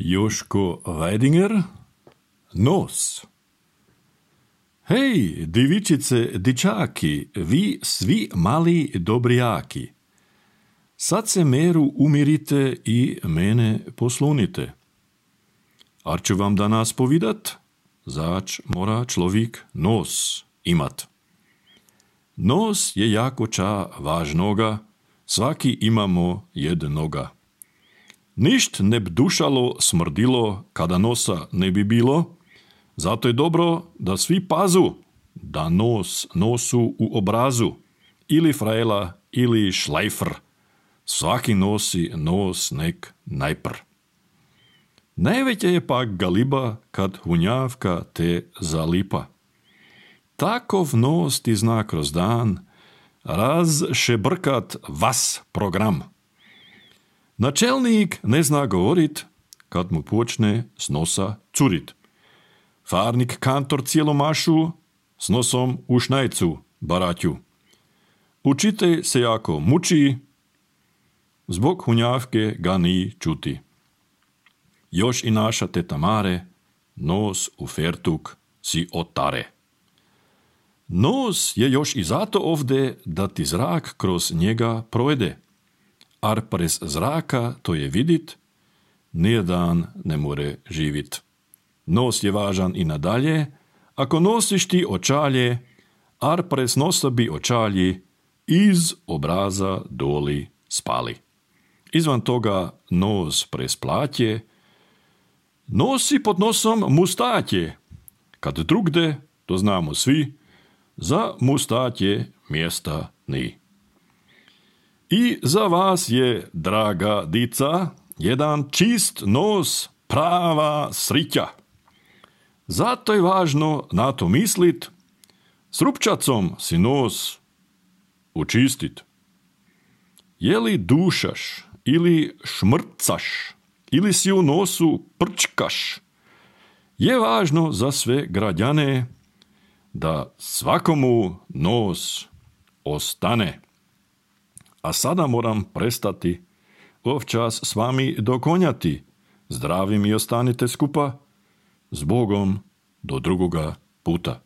Joško Vajdinger, nos. Hej, divičice, dičaki, vi svi mali dobrijaki. Sad se meru umirite i mene poslunite. Ar ću vam danas povidat, zač mora človik nos imat. Nos je jako ča važnoga, svaki imamo jednoga. Ništ ne bi dušalo, smrdilo, kada nosa ne bi bilo, zato je dobro da svi pazu, da nos nosu u obrazu, ili frajla, ili šlajfr. Svaki nosi nos nek najpr. Najveća je pak galiba, kad hunjavka te zalipa. Takov nos ti zna kroz dan, razšebrkat vas program. Načelnik ne zna govorit, kad mu počne s nosa curit. Farnik kantor cijelomašu, s nosom u šnajcu baraću. Učitelj se jako muči, zbog hunjavke ga ni čuti. Još i naša teta Mare, nos u fertuk si otare. Nos je još i zato ovde da ti zrak kroz njega projede. Ar prez zraka to je vidit, nijedan ne more živit. Nos je važan i nadalje, ako nosiš ti očalje, ar prez nosa bi očalji iz obraza doli spali. Izvan toga nos prez platje, nosi pod nosom mustatje. Kad drugde, to znamo svi, za mustatje mjesta ni. I za vas je, draga dica, jedan čist nos, prava srića. Zato je važno na to mislit, s rupčacom si nos učistit. Je li dušaš ili šmrcaš, ili si u nosu prčkaš, je važno za sve građane da svakomu nos ostane. A sada moram prestati, ovčas s vami dokonjati. Zdravi mi ostanite skupa, s Bogom do drugoga puta.